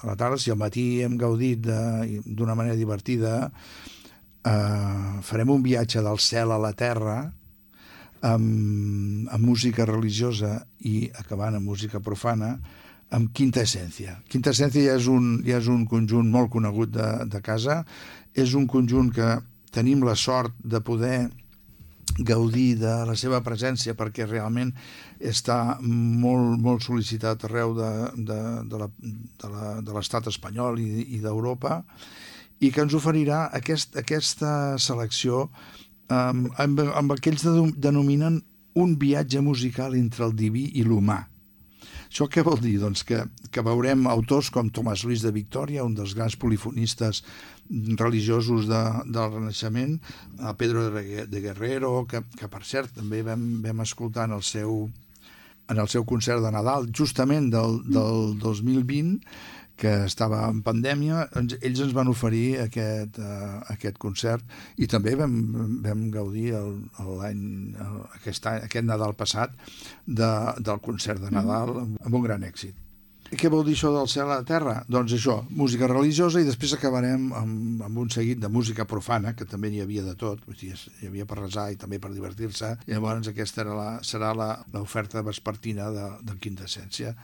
a la tarda. Si al matí hem gaudit d'una manera divertida, farem un viatge del cel a la terra amb música religiosa i acabant amb música profana, amb Quinta Essència. Quinta Essència ja és un conjunt molt conegut de casa, és un conjunt que tenim la sort de poder gaudir de la seva presència perquè realment està molt sol·licitat arreu de l'estat espanyol i d'Europa, i que ens oferirà aquesta selecció amb el que ells denominen un viatge musical entre el diví i l'humà. Això què vol dir? Doncs que veurem autors com Tomàs Luis de Victòria, un dels grans polifonistes religiosos del Renaixement, a Pedro de Guerrero, que per cert també vam escoltar en el seu concert de Nadal, justament del 2020, que estava en pandèmia. Ells ens van oferir aquest concert i també vam gaudir aquest Nadal passat del concert de Nadal amb un gran èxit. Què vol dir això del cel a la terra? Doncs això, música religiosa, i després acabarem amb un seguit de música profana, que també n'hi havia de tot, hi havia per resar i també per divertir-se, i llavors aquesta serà l'oferta vespertina de Quinta Essència.